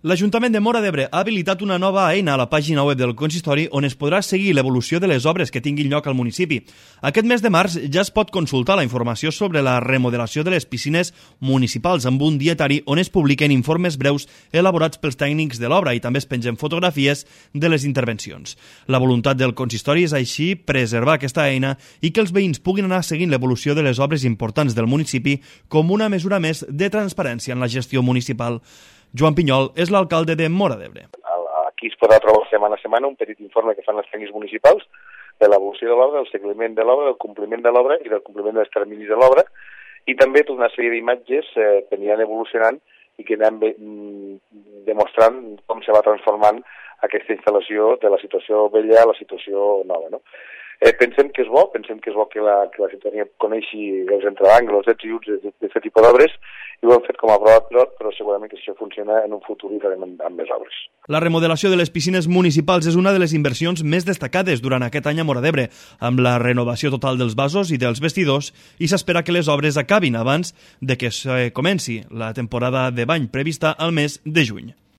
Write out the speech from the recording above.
L'Ajuntament de Móra d'Ebre ha habilitat una nova eina a la pàgina web del consistori on es podrà seguir l'evolució de les obres que tinguin lloc al municipi. Aquest mes de març ja es pot consultar la informació sobre la remodelació de les piscines municipals amb un dietari on es publiquen informes breus elaborats pels tècnics de l'obra i també es pengen fotografies de les intervencions. La voluntat del consistori és així preservar aquesta eina i que els veïns puguin anar seguint l'evolució de les obres importants del municipi com una mesura més de transparència en la gestió municipal. Joan Pinyol és l'alcalde de Móra d'Ebre. Aquí es podrà trobar setmana a setmana un petit informe que fan els tècnics municipals de l'evolució de l'obra, del seguiment de l'obra, del compliment de l'obra i del compliment dels terminis de l'obra i també tota una sèrie d'imatges que aniran evolucionant i que aniran demostrant com se va transformant aquesta instal·lació de la situació vella a la situació nova, no? Pensem que és bo que la ciutadania coneixi els entreangles, els ets i uts d'aquest tipus d'obres i ho hem fet com a prova pilot, però segurament que això funciona en un futur i farem amb més obres. La remodelació de les piscines municipals és una de les inversions més destacades durant aquest any a Móra d'Ebre, amb la renovació total dels vasos i dels vestidors, i s'espera que les obres acabin abans de que comenci la temporada de bany prevista al mes de juny.